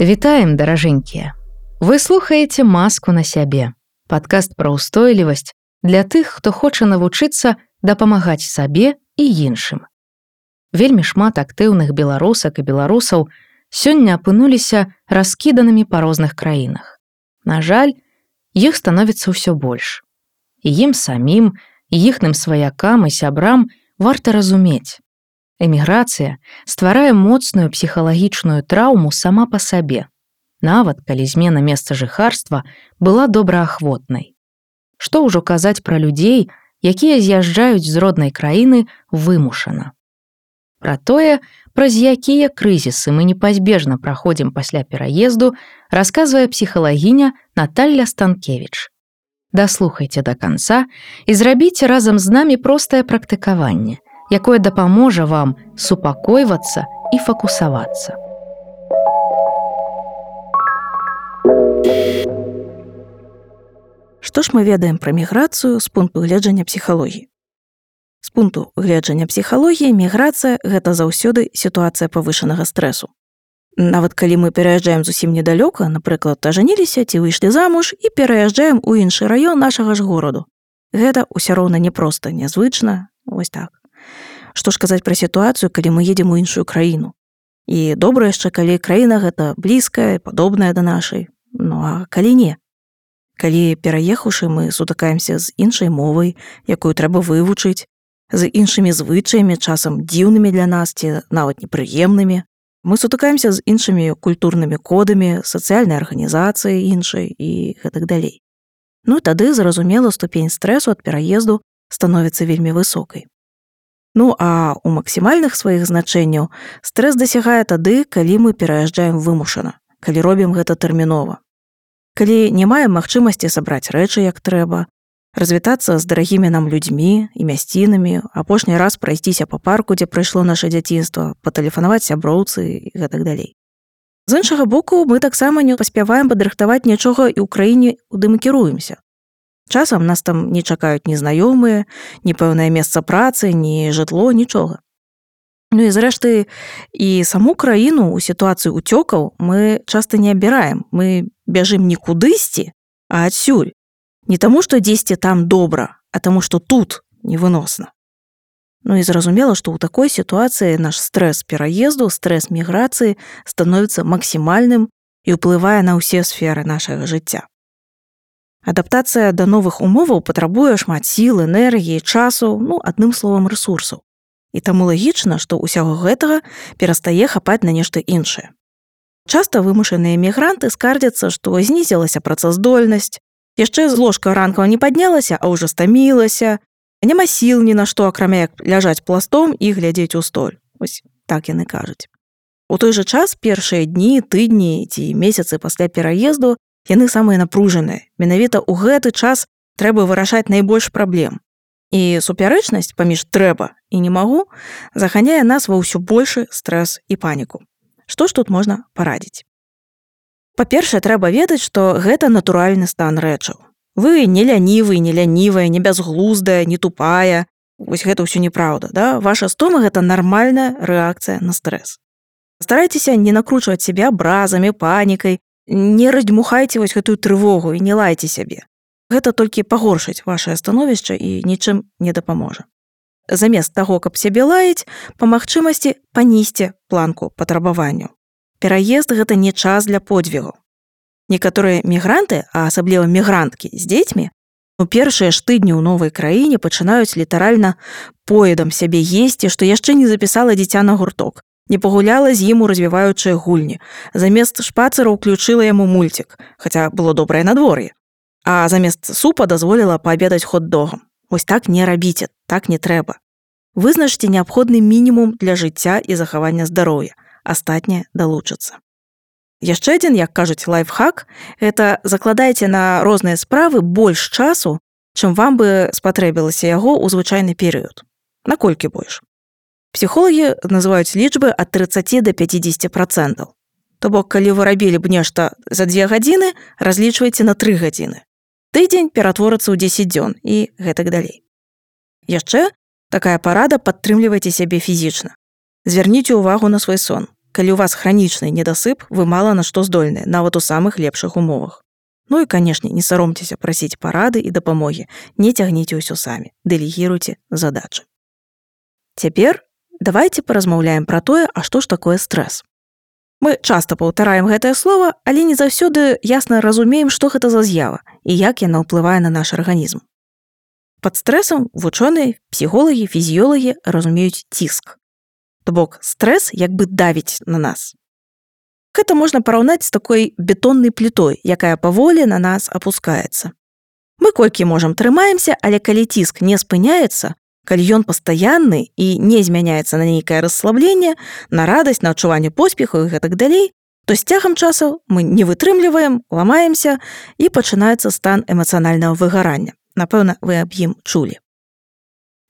Вітаем, даражэнькія! Вы слухаеце «Маску на сябе» – падкаст пра ўстойлівасць для тых, хто хоча навучыцца дапамагаць сабе і іншым. Вельмі шмат актыўных беларусак і беларусаў сёння апынуліся раскіданымі па розных краінах. На жаль, іх становіцца ўсё больш. І ім самім, і іхным сваякам і сябрам варта разумець. Эміграцыя стварае моцную псіхалагічную траўму сама па сабе, нават калі змена месца жыхарства была добраахвотнай. Што ўжо казаць пра людзей, якія з'язджаюць з роднай краіны вымушана. Пра тое, праз якія крызісы мы непазбежна праходзім пасля пераезду, расказвае псіхалагіня Наталля Станкевіч. Даслухайце да канца і зрабіце разам з намі простае практыкаванне, якое дапаможа вам супакойвацца і фокусавацца. Што ж мы ведаем пра міграцыю з пункту гледжання псіхалогіі? З пункту гледжання псіхалогіі міграцыя – гэта заўсёды сітуацыя павышанага стрэсу. Нават калі мы пераязджаем зусім недалёка, напрыклад, ажаніліся ці выйшлі замуж і пераязджаем у іншы раён нашага ж гораду. Гэта ўсё роўна непроста, нязвычна, вось так. Што ж казаць пра сітуацыю, калі мы едзем у іншую краіну? І добра яшчэ, калі краіна гэта блізкая, падобная да нашай. Ну а калі не? Калі, пераехаўшы, мы сутыкаемся з іншай мовай, якую трэба вывучыць, з іншымі звычаямі, часам дзіўнымі для нас ці нават непрыемнымі, мы сутыкаемся з іншымі культурнымі кодамі, сацыяльнай арганізацыяй іншай і гэтак далей. Ну тады, зразумела, ступень стрэсу ад пераезду становіцца вельмі высокай. Ну, а ў максімальных сваіх значэнняў стрэс дасягае тады, калі мы пераязджаем вымушана, калі робім гэта тэрмінова. Калі не маем магчымасці сабраць рэчы як трэба, развітацца з дарагімі нам людзьмі і мясцінамі, апошні раз прайсціся па парку, дзе прайшло наша дзяцінства, патэлефанаваць сяброўцы і гэтак далей. З іншага боку, мы таксама не паспяваем падрыхтаваць нічога і ў краіне, куды мы кіруемся. Часам нас там не чакаюць ні знаёмыя, ні пэўнае месца працы, ні жытло, нічога. Ну і зрэшты, і саму краіну ў сітуацыі ўцёкаў мы часта не абіраем. Мы бяжым не кудысьці, а адсюль. Не таму, што дзесьці там добра, а таму, што тут невыносна. Ну і зразумела, што ў такой сітуацыі наш стрэс пераезду, стрэс міграцыі становіцца максімальным і ўплывае на ўсе сферы нашага жыцця. Адаптацыя да новых умоваў патрабуе шмат сіл, энергіі, часу, адным словам, рэсурсаў. І таму лагічна, што ўсяго гэтага перастае хапаць на нешта іншае. Часта вымушаныя мігранты скардзяцца, што знізілася працаздольнасць, яшчэ з ложка ранкава не паднялася, а ўжо стамілася, няма сіл ні на што, акрамя як ляжаць пластом і глядзець у столь. Вось так яны кажуць. У той жа час першыя дні, тыдні ці месяцы пасля пераезду яны самыя напружаныя. Менавіта ў гэты час трэба вырашаць найбольш праблем. І супярэчнасць паміж трэба і не магу заганяе нас ва ўсё большы стрэс і паніку. Што ж тут можна парадзіць? Па-першае, трэба ведаць, што гэта натуральны стан рэчаў. Вы не лянівы, не лянівая, не бязглуздая, не тупая. Вось гэта ўсё неправда, да? Ваша стома – гэта нармальная рэакцыя на стрэс. Старайцеся не накручваць сябе абразамі, панікай, не раздзьмухайце вось гэтую трывогу і не лайце сябе. Гэта толькі пагоршыць вашае становішча і нічым не дапаможа. Замест таго, каб сябе лаяць, па магчымасці панізьце планку патрабаванняў. Пераезд – гэта не час для подвігу. Некаторыя мігранты, а асабліва мігранткі з дзецьмі, у першыя ж тыдні ў новай краіне пачынаюць літаральна поедам сябе есці, што яшчэ не запісала дзіця на гурток, не пагуляла з ім у развіваючыя гульні, замест шпацыра ўключыла яму мульцік, хаця было добрае надвор'е, а замест супа дазволіла паабедаць хот-догам. Вось так не рабіце, так не трэба. Вызначце неабходны мінімум для жыцця і захавання здароўя, астатняе далучыцца. Яшчэ адзін, як кажуць, лайфхак – гэта закладайце на розныя справы больш часу, чым вам бы спатрэбілася яго ў звычайны перыяд. Наколькі больш? Псіхолагі называюць лічбы ад 30 до 50%. То бок, калі вы рабілі б нешта за 2 гадзіны, разлічвайце на 3 гадзіны. Тыдзень ператворацца ў 10 дзён і гэтак далей. Яшчэ такая парада – падтрымлівайце сябе фізічна. Звярніце ўвагу на свой сон. калі ў вас хранічны недасып, вы мала на што здольны, нават у самых лепшых умовах. Ну і, канешне, не саромцеся прасіць парады і дапамогі, не цягніце ўсё самі, дэлегіруйце задачы. Цяпер давайте паразмаўляем пра тое, а што ж такое стрэс. Мы часта паўтараем гэтае слова, але не заўсёды ясна разумеем, што гэта за з'ява і як яна ўплывае на наш арганізм. Пад стрэсам вучоныя, псіхолагі, фізіёлагі разумеюць ціск. То бок стрэс як бы давіць на нас. Гэта можна параўнаць з такой бетоннай плітой, якая паволі на нас апускаецца. Мы колькі можам трымаемся, але калі ціск не спыняецца, калі ён пастаянны і не змяняецца на нейкае расслабленне, на радасць, на адчуванне поспеху і гэтак далей, то з цягам часу мы не вытрымліваем, ламаемся і пачынаецца стан эмацыянальнага выгарання. Напэўна, вы аб ім чулі.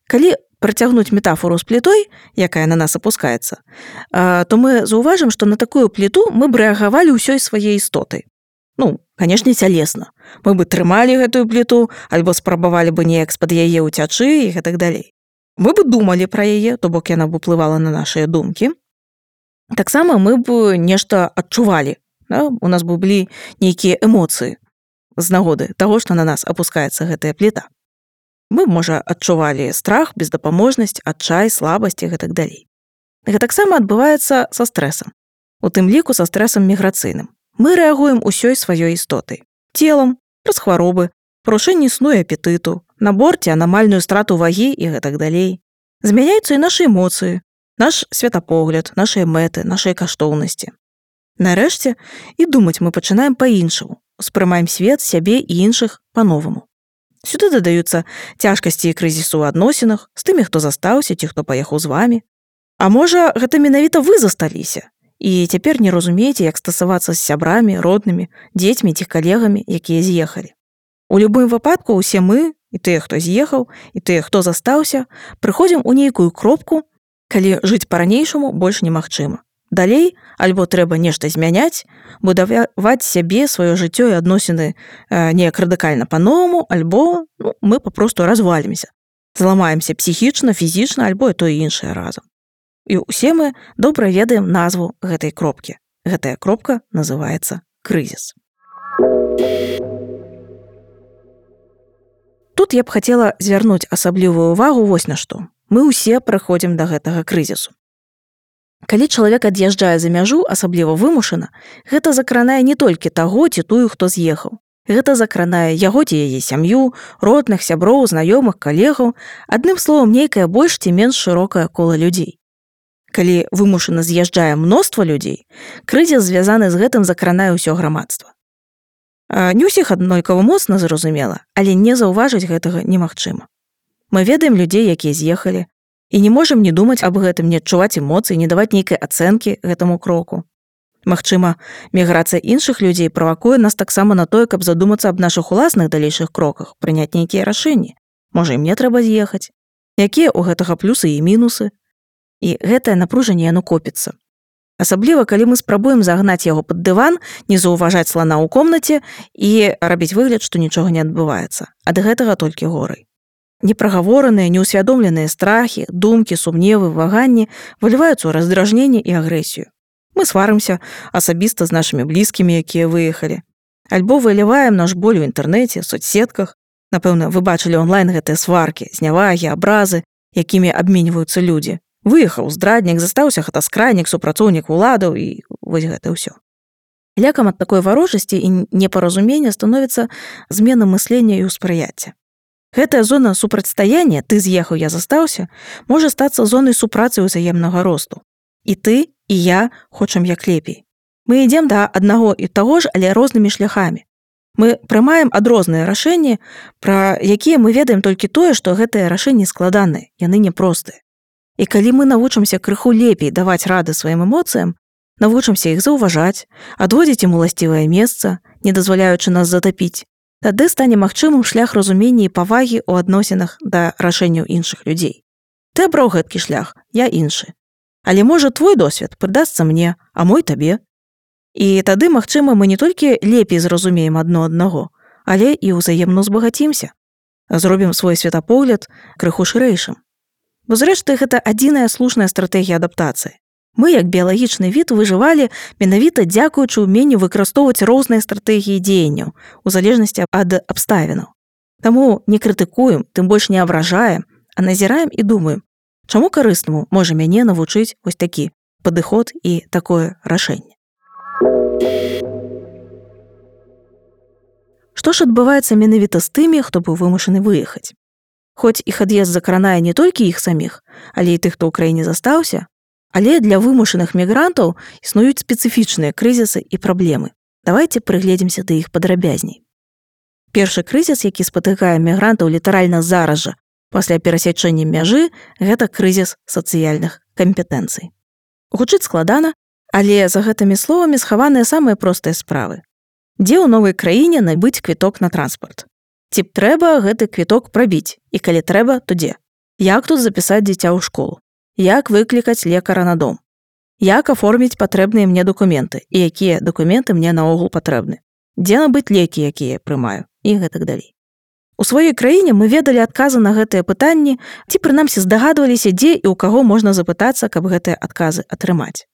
Калі працягнуць метафору з плітой, якая на нас апускаецца, то мы заўважым, што на такую пліту мы б рэагавалі ўсёй сваёй істотай. Ну, канешне, цялесна. Мы бы трымалі гэтую пліту, альбо спрабавалі бы неяк з-пад яе ўцячы і гэтак далей. Мы бы думалі пра яе, то бок яна б уплывала на нашыя думкі. Таксама мы б нешта адчувалі. Да? У нас бы былі нейкія эмоцыі з нагоды таго, што на нас апускаецца гэтая пліта. Мы, можа, адчувалі страх, бездапаможнасць, адчай, слабасць і гэтак далей. Гэта таксама адбываецца са стрэсам. У тым ліку са стрэсам міграцыйным. Мы рэагуем усёй сваёй істотай. Целам, праз хваробы, парушэнне сну і апетыту, на борце анамальную страту вагі і гэтак далей. Змяняюцца і нашы эмоцыі, наш светапогляд, нашыя мэты, нашыя каштоўнасці. Нарэшце, і думаць мы пачынаем па-іншаму, успрымаем свет, сябе і іншых па-новаму. Сюды дадаюцца цяжкасці і крызісу ў адносінах з тымі, хто застаўся ці хто паехаў з вамі. А можа, гэта менавіта вы засталіся і цяпер не разумееце, як стасавацца з сябрамі, роднымі, дзецьмі ці калегамі, якія з'ехалі. У любым выпадку ўсе мы, і тыя, хто з'ехаў, і тыя, хто застаўся, прыходзім у нейкую кропку, калі жыць па-ранейшаму больш немагчыма. Далей, альбо трэба нешта змяняць, будаваць сябе, сваё жыццё і адносіны неяк радыкальна па-новаму, альбо мы папросту развалімся. Зламаемся псіхічна, фізічна, альбо і тое іншае разам. І ўсе мы добра ведаем назву гэтай кропкі. Гэтая кропка называецца крызіс. Тут я б хацела звярнуць асаблівую ўвагу вось на што. Мы ўсе прыходзім да гэтага крызісу. Калі чалавек ад'язджае за мяжу, асабліва вымушана, гэта закранае не толькі таго ці тую, хто з'ехаў. Гэта закранае яго ці яе сям'ю, родных, сяброў, знаёмых, калегаў, адным словам, нейкае больш ці менш шырокае кола людзей. Калі вымушана з'язджае мноства людзей, крызіс звязаны з гэтым закранае ўсё грамадства. Не ўсіх аднолькава моцна зразумела, але не заўважыць гэтага немагчыма. Мы ведаем людзей, якія з'ехалі, і не можам не думаць аб гэтым, не адчуваць эмоцыі, не даваць нейкай ацэнкі гэтаму кроку. Магчыма, міграцыя іншых людзей правакуе нас таксама на тое, каб задумацца аб нашых уласных далейшых кроках, прыняць нейкія рашэнні. Можа, і мне трэба з'ехаць. Якія ў гэтага плюсы і мінусы? І гэтае напружанне яно копіцца. Асабліва, калі мы спрабуем загнаць яго пад дыван, не заўважаць слана ў комнаце і рабіць выгляд, што нічога не адбываецца. Ад гэтага толькі горай. Непрагавораныя, неўсвядомленыя страхі, думкі, сумневы, ваганні выліваюцца ў раздражненне і агрэсію. Мы сварымся асабіста з нашымі блізкімі, якія выехалі. Альбо выліваем наш боль у інтэрнэце, соцсетках. Напэўна, вы бачылі онлайн гэтыя сваркі, знявагі, абразы, якімі абменьваюцца людзі. Выехаў здраднік, застаўся хатаскрайнік, супрацоўнік уладаў і вось гэта ўсё. Лякам ад такой варожасці і непаразумення становіцца змена мыслення і ўспрыяцця. Гэтая зона супрацьстаяння, ты з'ехаў, я застаўся, можа стацца зонай супрацы ўзаемнага росту. І ты, і я хочам як лепей. Мы ідзем да аднаго і таго ж, але рознымі шляхамі. Мы прымаем адрозныя рашэнні, пра якія мы ведаем толькі тое, што гэтыя рашэнні складаныя, яны няпростыя. І калі мы навучымся крыху лепей даваць рады сваім эмоцыям, навучымся іх заўважаць, адводзіць ім уласцівае месца, не дазваляючы нас затапіць, тады стане магчымым шлях разумення і павагі ў адносінах да рашэнняў іншых людзей. Ты абраў гэткі шлях, я іншы. Але можа твой досвед прыдасца мне, а мой табе. І тады, магчыма, мы не толькі лепей зразумеем адно аднаго, але і ўзаемна ўзбагацімся. Зробім свой светапогляд крыху шырэйшым. Бо зрэшты, гэта адзіная слушная стратэгія адаптацыі. Мы, як біялагічны від, выжывалі менавіта дзякуючы ўменню выкарыстоўваць розныя стратэгіі дзеянняў у залежнасці ад абставінаў. Таму не крытыкуем, тым больш не абражаем, а назіраем і думаем, чаму карыснаму можа мяне навучыць вось такі падыход і такое рашэнне. Што ж адбываецца менавіта з тымі, хто быў вымушаны выехаць? Хоць іх ад'езд закранае не толькі іх саміх, але і тых, хто ў краіне застаўся, але для вымушаных мігрантаў існуюць спецыфічныя крызісы і праблемы. Давайце прыгледзімся да іх падрабязней. Першы крызіс, які спатыкае мігрантаў літаральна зараз жа, пасля перасячэння мяжы, гэта крызіс сацыяльных кампетэнцый. Гучыць складана, але за гэтымі словамі схаваныя самыя простыя справы. Дзе ў новай краіне набыць квіток на транспарт? Ці трэба гэты квіток прабіць? І калі трэба, то дзе? Як тут запісаць дзіця ў школу? Як выклікаць лекара на дом? Як аформіць патрэбныя мне дакументы? І якія дакументы мне наогул патрэбны? Дзе набыць лекі, якія я прымаю? І гэтак далей. У сваёй краіне мы ведалі адказы на гэтыя пытанні, ці прынамсі здагадваліся, дзе і ў каго можна запытацца, каб гэтыя адказы атрымаць.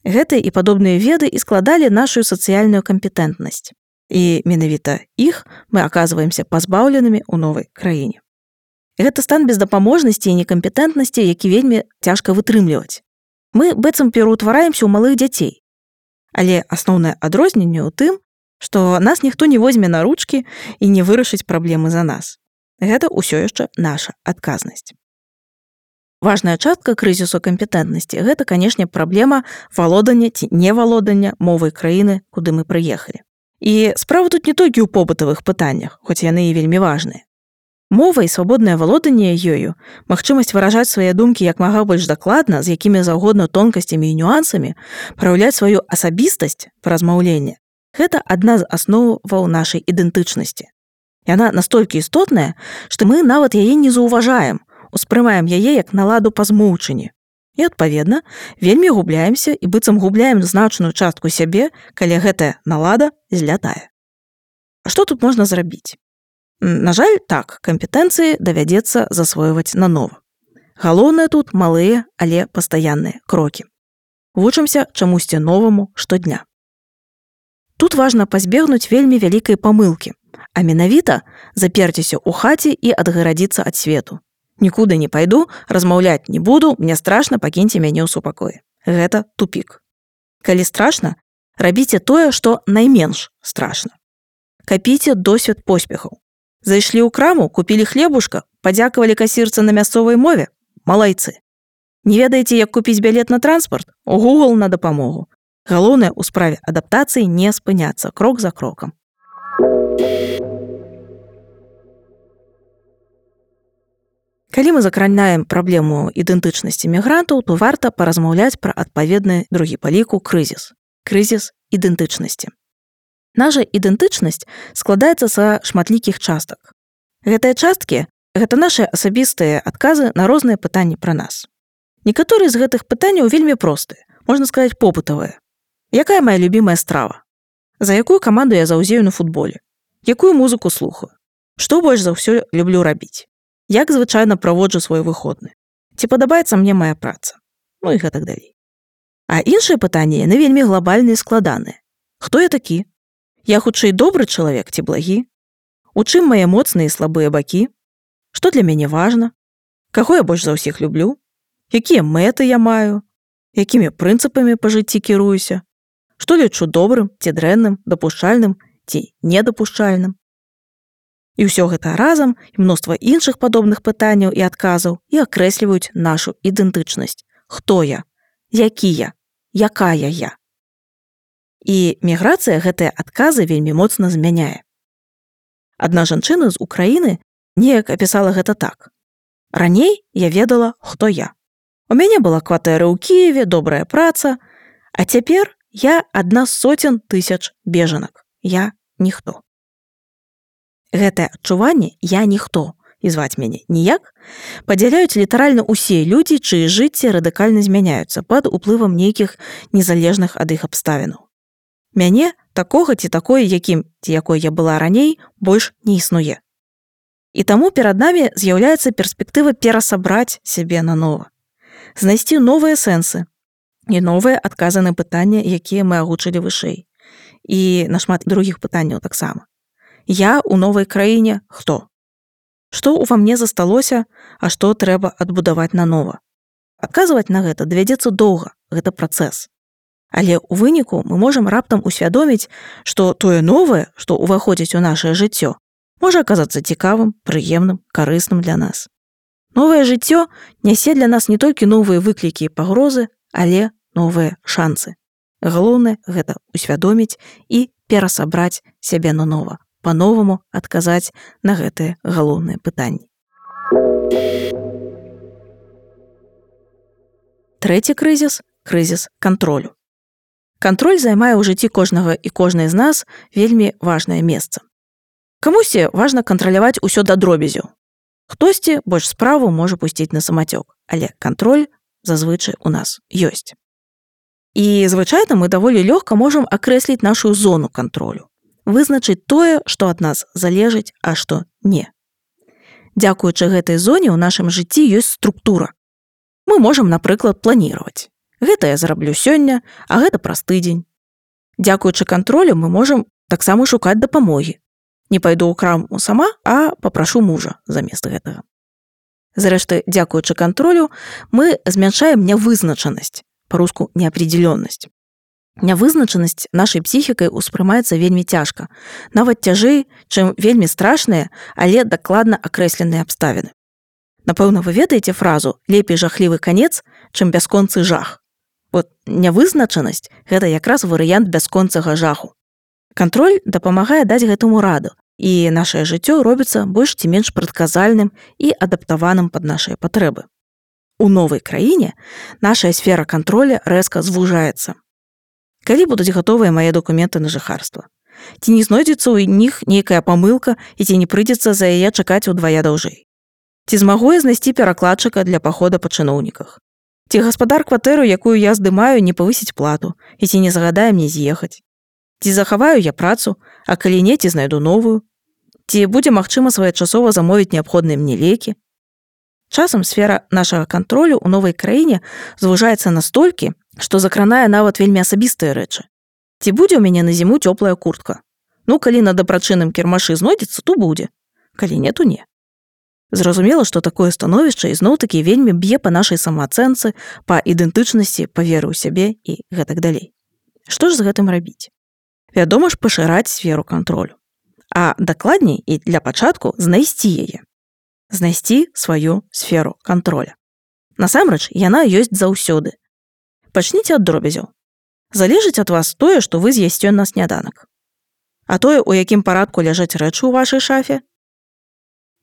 Гэтыя і падобныя веды і складалі нашу сацыяльную кампетэнтнасць. І менавіта іх мы аказваемся пазбаўленымі ў новай краіне. Гэта стан бездапаможнасці і некампетэнтнасці, які вельмі цяжка вытрымліваць. Мы быццам пераўтвараемся ў малых дзяцей. Але асноўнае адрозненне ў тым, што нас ніхто не возьме на ручкі і не вырашыць праблемы за нас. Гэта ўсё яшчэ наша адказнасць. Важная частка крызісу кампетэнтнасці – гэта, канешне, праблема валодання ці невалодання мовай краіны, куды мы прыехалі. І справа тут не толькі ў побытавых пытаннях, хоць яны і вельмі важныя. Мова і свабоднае валоданне ёю, магчымасць выражаць свае думкі як мага больш дакладна, з якімі заўгодна тонкасцямі і нюансамі, праяўляць сваю асабістасць па размаўленні – гэта адна з асноваў нашай ідэнтычнасці. Яна настолькі істотная, што мы нават яе не заўважаем, успрымаем яе як наладу па змоўчанні. І, адпаведна, вельмі губляемся і быццам губляем значную частку сябе, калі гэтая налада злятае. А што тут можна зрабіць? На жаль, так, кампетэнцыі давядзецца засвойваць нанова. Галоўнае тут малыя, але пастаянныя крокі. Вучымся чамусьці новаму штодня. Тут важна пазбегнуць вельмі вялікай памылкі, а менавіта заперціся ў хаце і адгарадзіцца ад свету. Нікуды не пайду, размаўляць не буду, мне страшна, пакіньце мяне ў супакоі. Гэта тупік. Калі страшна, рабіце тое, што найменш страшна. Капіце досвед поспехаў. Зайшлі ў краму, купілі хлебушка, падзякавалі касірцы на мясцовай мове? Малайцы. Не ведаеце, як купіць білет на транспарт? У Google на дапамогу. Галоўнае ў справе адаптацыі не спыняцца крок за крокам. Калі мы закранаем праблему ідэнтычнасці мігрантаў, то варта паразмаўляць пра адпаведны другі па ліку крызіс. Крызіс ідэнтычнасці. Наша ідэнтычнасць складаецца са шматлікіх частак. Гэтыя часткі – гэта нашы асабістыя адказы на розныя пытанні пра нас. Некаторыя з гэтых пытанняў вельмі простыя, можна сказаць, попытавыя. Якая моя любімая страва? За якую каманду я заўзею на футболе? Якую музыку слухаю? Што больш за ўсё люблю рабіць? Як звычайна праводжу свой выходны? Ці падабаецца мне моя праца? Ну і гэтак далей. А іншыя пытанні, яны вельмі глобальныя і складаныя. Хто я такі? Я хутчэй добры чалавек ці благі? У чым мае моцныя і слабыя бакі? Што для мяне важна? Каго я больш за ўсіх люблю? Якія мэты я маю? Якімі прынцыпамі па жыцці кіруюся? Што лічу добрым ці дрэнным, дапушчальным ці недапушчальным? І ўсё гэта разам і мноства іншых падобных пытанняў і адказаў і акрэсліваюць нашу ідэнтычнасць. Хто я? Які я? Якая я? І міграцыя гэтыя адказы вельмі моцна змяняе. Адна жанчына з Украіны неяк апісала гэта так. Раней я ведала, хто я. У мяне была кватэра ў Кіеве, добрая праца, а цяпер я адна з сотен тысяч бежанак. Я ніхто. Гэтае адчуванне «я ніхто» і зваць мяне ніяк падзяляюць літаральна ўсе людзі, чые жыцці радыкальна змяняюцца пад уплывам нейкіх незалежных ад іх абставінаў. Мяне, такога ці такое, якім ці якой я была раней, больш не існуе. І таму перад намі з'яўляецца перспектыва перасабраць сябе нанова, знайсці новыя сэнсы, і новыя адказы на пытанні, якія мы агучылі вышэй. І нашмат другіх пытанняў таксама. Я ў новай краіне хто? Што ўва мне засталося, а што трэба адбудаваць нанова? Адказваць на гэта давядзецца доўга, гэта працэс. Але ў выніку мы можам раптам усвядоміць, што тое новае, што ўваходзіць у нашае жыццё, можа аказацца цікавым, прыемным, карысным для нас. Новае жыццё нясе для нас не толькі новыя выклікі і пагрозы, але новыя шансы. Галоўнае гэта усвядоміць і перасабраць сябе нанова, па-новаму адказаць на гэтыя галоўныя пытанні. Трэці крызіс – крызіс кантролю. Кантроль займае ў жыцці кожнага і кожнай з нас вельмі важнае месца. Камусьці важна кантраляваць усё да дробязю. Хтосьці больш справу можа пусціць на самацёк, але кантроль зазвычай у нас ёсць. І звычайна мы даволі лёгка можам акрэсліць нашу зону кантролю, вызначыць тое, што ад нас залежыць, а што не. Дзякуючы гэтай зоне ў нашым жыцці ёсць структура. Мы можам, напрыклад, планіраваць. Гэта я зраблю сёння, а гэта праз тыдзень. Дзякуючы кантролю мы можам таксама шукаць дапамогі. Не пайду ў краму сама, а папрашу мужа замест гэтага. Зрэшты, дзякуючы кантролю мы змяншаем нявызначанасць, па-руску неапределённасць. Нявызначанасць нашай псіхікай успрымаецца вельмі цяжка, нават цяжэй, чым вельмі страшныя, але дакладна акрэсленыя абставіны. Напэўна, вы ведаеце фразу «лепей жахлівы канец, чым бясконцы жах». Вот нявызначанасць – гэта якраз варыянт бясконцага жаху. Кантроль дапамагае даць гэтаму раду, і нашае жыццё робіцца больш ці менш прадказальным і адаптаваным пад нашыя патрэбы. У новай краіне нашая сфера кантроля рэзка звужаецца. Калі будуць гатовыя мае дакументы на жыхарства? Ці не знойдзецца ў них нейкая памылка і ці не прыйдзецца за яе чакаць удвая даўжэй? Ці змагу я знайсці перакладчыка для пахода па чыноўніках? Ці гаспадар кватэру, якую я здымаю, не павысіць плату, і ці не загадае мне з'ехаць? Ці захаваю я працу, а калі не, ці знайду новую? Ці будзе магчыма своечасова замовіць неабходныя мне лекі? Часам сфера нашага кантролю ў новай краіне звужаецца настолькі, што закранае нават вельмі асабістыя рэчы. Ці будзе ў мяне на зіму цёплая куртка? Ну, калі на дабрачынным кірмашы знойдзецца, то будзе. Калі не, то не. Зразумела, што такое становішча ізноў-такі вельмі б'е па нашай самаацэнцы, па ідэнтычнасці, па веры ў сябе і гэтак далей. Што ж з гэтым рабіць? Вядома ж, пашыраць сферу кантролю. А дакладней і для пачатку знайсці яе. Знайсці сваю сферу кантроля. Насамрэч, яна ёсць заўсёды. Пачніце ад дробязяў. Залежыць ад вас тое, што вы з'ясце на сняданак. А тое, у якім парадку ляжаць рэчы ў вашай шафе?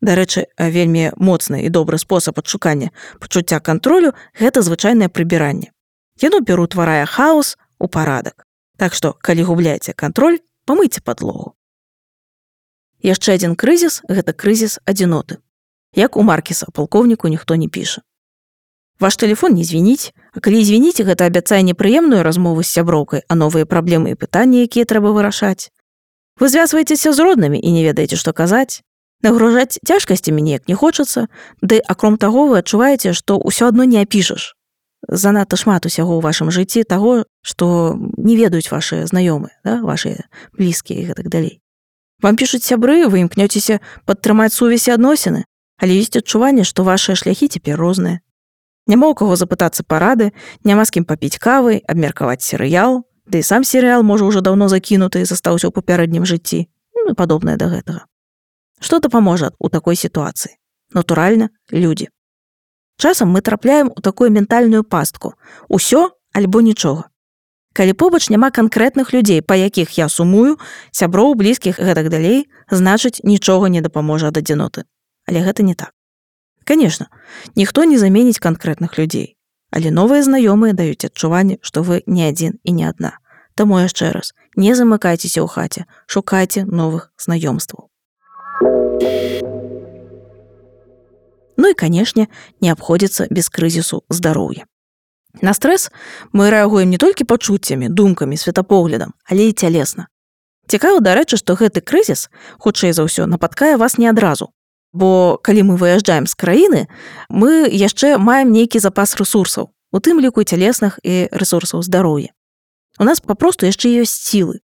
Дарэчы, вельмі моцны і добры спосаб адшукання пачуцця кантролю – гэта звычайнае прыбіранне. Яно пераўтварае хаос у парадак. Так што, калі губляеце кантроль, памыйце падлогу. Яшчэ адзін крызіс – гэта крызіс адзіноты. Як у Маркеса, палкоўніку ніхто не піша. Ваш тэлефон не звініць, а калі звініць, гэта абяцае непрыемную размову з сяброўкай, а новыя праблемы і пытанні, якія трэба вырашаць. Вы звязваецеся з роднымі і не ведаеце, што казаць. Нагружаць цяжкасцямі неяк не хочацца, ды, акром таго, вы адчуваеце, што ўсё адно не апішаш. Занадта шмат усяго ў вашым жыцці таго, што не ведаюць вашыя знаёмыя, вашыя блізкія і гэтак далей. Вам пішуць сябры, вы імкнёцеся падтрымаць сувязь і адносіны, але ёсць адчуванне, што вашыя шляхі цяпер розныя. Няма ў каго запытацца парады, няма з кім папіць кавы, абмеркаваць серыял, ды і сам серыял можа ўжо даўно закінуты і застаўся ў папярэднім жыцці, і падобнае да гэтага. Што дапаможа ў такой сітуацыі? Натуральна, людзі. Часам мы трапляем у такую ментальную пастку. Усё альбо нічога. Калі побач няма канкрэтных людзей, па якіх я сумую, сяброў, блізкіх і гэтак далей, значыць, нічога не дапаможа ад адзіноты. Але гэта не так. Канешне, ніхто не заменіць канкрэтных людзей, але новыя знаёмыя даюць адчуванне, што вы не адзін і не адна. Таму яшчэ раз, не замыкайцеся ў хаце, шукайце новых знаёмстваў. Ну і, канешне, не абходзіцца без крызісу здароўя. На стрэс мы рэагуем не толькі пачуццямі, думкамі, светапоглядам, але і цялесна. Цікава, дарэчы, што гэты крызіс, хутчэй за ўсё, напаткае вас не адразу. Бо калі мы выязджаем з краіны, мы яшчэ маем нейкі запас рэсурсаў. у тым ліку цялесных і рэсурсаў здароўя. У нас папросту яшчэ ёсць сілы.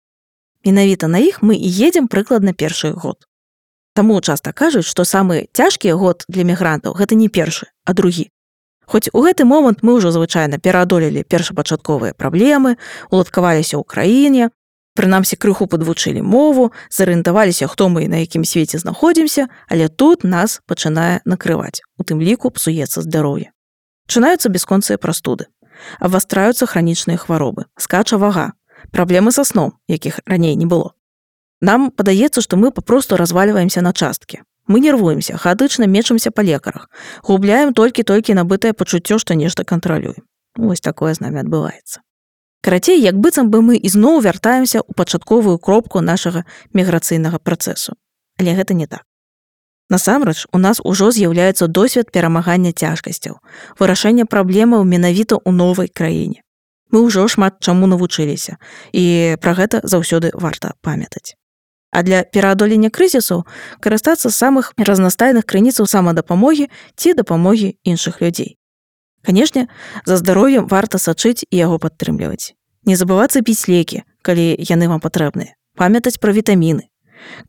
Менавіта на іх мы і едзем прыкладна першы год. Таму часта кажуць, што самы цяжкі год для мігрантаў гэта не першы, а другі. Хоць у гэты момант мы ўжо звычайна пераадолелі першапачатковыя праблемы, уладкаваліся ў краіне, прынамсі крыху падвучылі мову, зарыентаваліся, хто мы і на якім свеце знаходзімся, але тут нас пачынае накрываць. У тым ліку псуецца здароўе. Пачынаюцца бясконцыя прастуды, абвастраюцца хранічныя хваробы, скача вага, праблемы са сном, якіх раней не было. Нам падаецца, што мы папросту развальваемся на часткі. Мы нервуемся, хаатычна мечамся па лекарах, губляем толькі набытае пачуццё, што нешта кантралюем. Вось такое з намі адбываецца. Карацей, як быццам бы мы ізноў вяртаемся ў пачатковую кропку нашага міграцыйнага працэсу. Але гэта не так. Насамрэч, у нас ужо з'яўляецца досвед перамагання цяжкасцяў, вырашэння праблемаў менавіта ў новай краіне. Мы ўжо шмат чаму навучыліся, і пра гэта заўсёды варта памятаць. А для пераадолення крызісаў карыстацца з самых разнастайных крыніцаў самадапамогі ці дапамогі іншых людзей. Канешне, за здароўем варта сачыць і яго падтрымліваць. Не забывацца піць лекі, калі яны вам патрэбныя, памятаць пра вітаміны.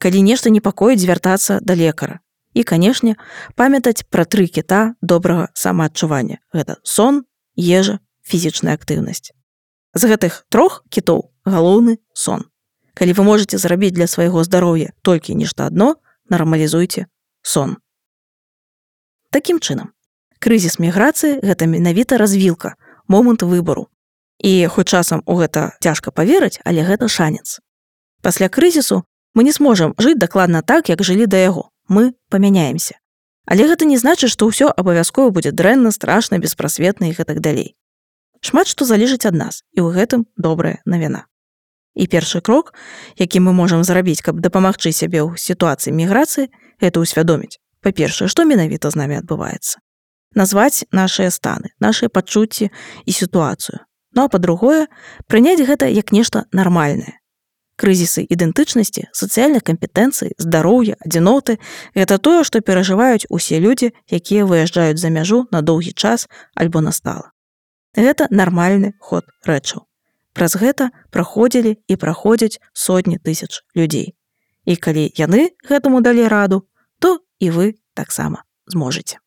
Калі нешта непакоіць, звяртацца да лекара. І, канешне, памятаць пра 3 кіта добрага самаадчування. Гэта сон, ежа, фізічная актыўнасць. З гэтых 3 кітоў галоўны сон. Калі вы можаце зрабіць для свайго здароўя толькі нешта адно, нармалізуйце сон. Такім чынам, крызіс міграцыі – гэта менавіта развілка, момант выбару. І хоць часам у гэта цяжка паверыць, але гэта шанец. Пасля крызісу мы не зможам жыць дакладна так, як жылі да яго. Мы памяняемся. Але гэта не значыць, што ўсё абавязкова будзе дрэнна, страшна, беспрасветна і гэтак далей. Шмат што залежыць ад нас, і ў гэтым добрая навіна. І першы крок, які мы можам зрабіць, каб дапамагчы сябе ў сітуацыі міграцыі, гэта ўсвядоміць. Па-першае, што менавіта з намі адбываецца. Назваць нашыя станы, нашыя пачуцці і сітуацыю. Ну а па-другое, прыняць гэта як нешта нармальнае. Крызісы ідэнтычнасці, сацыяльных кампетэнцый, здароўя, адзіноты – гэта тое, што перажываюць усе людзі, якія выязджаюць за мяжу на доўгі час альбо на стала. Гэта нармальны ход рэчаў. Праз гэта праходзілі і праходзяць сотні тысяч людзей. І калі яны гэтаму далі раду, то і вы таксама зможаце.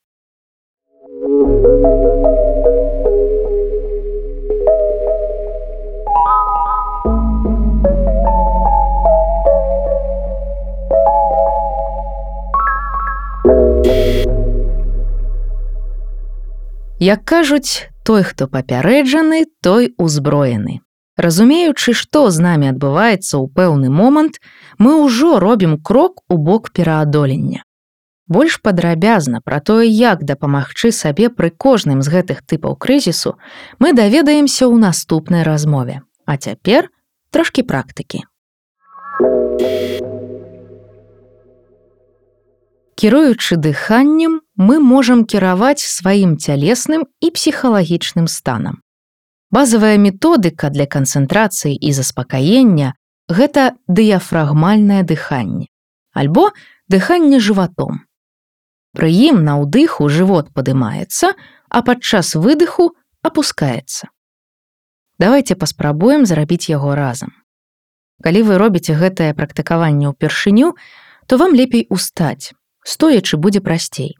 Як кажуць, той, хто папярэджаны, той узброены. Разумеючы, што з намі адбываецца ў пэўны момант, мы ўжо робім крок у бок пераадолення. Больш падрабязна пра тое, як дапамагчы сабе пры кожным з гэтых тыпаў крызісу, мы даведаемся ў наступнай размове. А цяпер трошкі практыкі. Кіруючы дыханнем, мы можам кіраваць сваім цялесным і псіхалагічным станам. Базавая методыка для канцэнтрацыі і заспакаення – гэта дыяфрагмальнае дыханне, альбо дыханне жыватом. Пры ім на ўдыху жывот падымаецца, а падчас выдыху апускаецца. Давайце паспрабуем зрабіць яго разам. Калі вы робіце гэтае практыкаванне ўпершыню, то вам лепей устаць, стоячы будзе прасцей.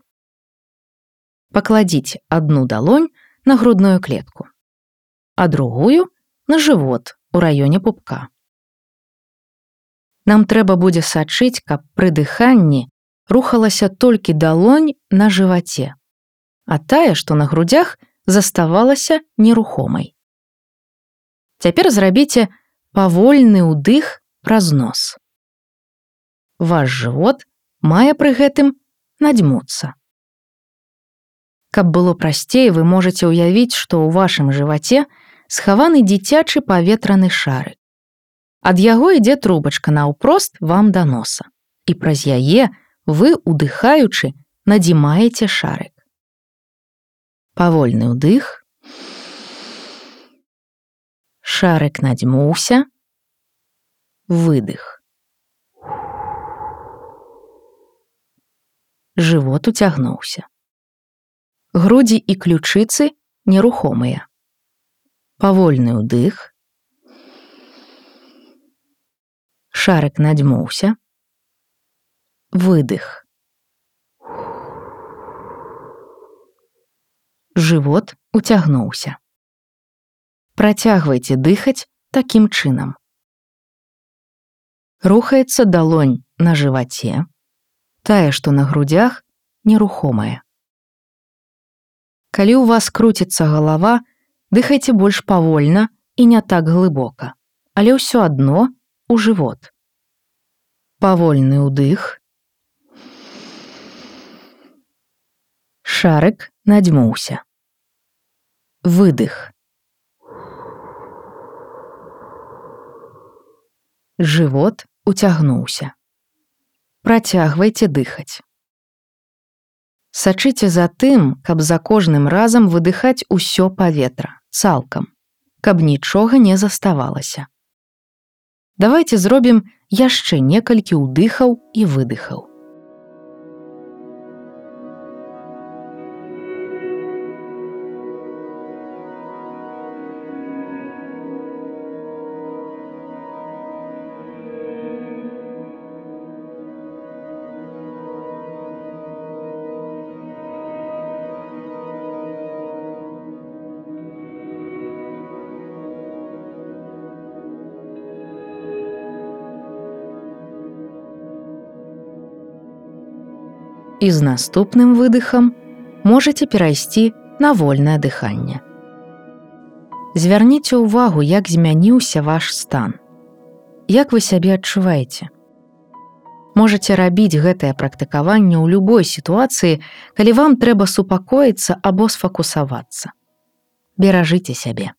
Пакладзіце адну далонь на грудную клетку, а другую на жывот у раёне пупка. Нам трэба будзе сачыць, каб пры дыханні рухалася толькі далонь на жываце, а тая, што на грудзях, заставалася нерухомай. Цяпер зрабіце павольны ўдых праз нос. Ваш жывот мае пры гэтым надзьмуцца. Каб было прасцей, вы можаце ўявіць, што ў вашым жываце схаваны дзіцячы паветраны шарык. Ад яго ідзе трубачка наўпрост вам да носа, і праз яе вы, удыхаючы, надзімаеце шарык. Павольны ўдых. Шарык надзьмуўся. Выдых. Жывот уцягнуўся. Грудзі і ключыцы нерухомыя. Павольны ўдых. Шарык надзьмуўся. Выдых. Жывот уцягнуўся. Працягвайце дыхаць такім чынам. Рухаецца далонь на жываце, тая, што на грудзях, нерухомая. Калі ў вас круціцца галава, дыхайце больш павольна і не так глыбока, але ўсё адно у жывот. Павольны ўдых. Шарык надзьмуўся. Выдых. Жывот уцягнуўся. Працягвайце дыхаць. Сачыце за тым, каб за кожным разам выдыхаць усё паветра, цалкам, каб нічога не заставалася. Давайце зробім яшчэ некалькі ўдыхаў і выдыхаў. І з наступным выдыхам можаце перайсці на вольнае дыханне. Звярніце ўвагу, як змяніўся ваш стан. Як вы сябе адчуваеце? Можаце рабіць гэтае практыкаванне ў любой сітуацыі, калі вам трэба супакоіцца або сфокусавацца. Беражыце сябе.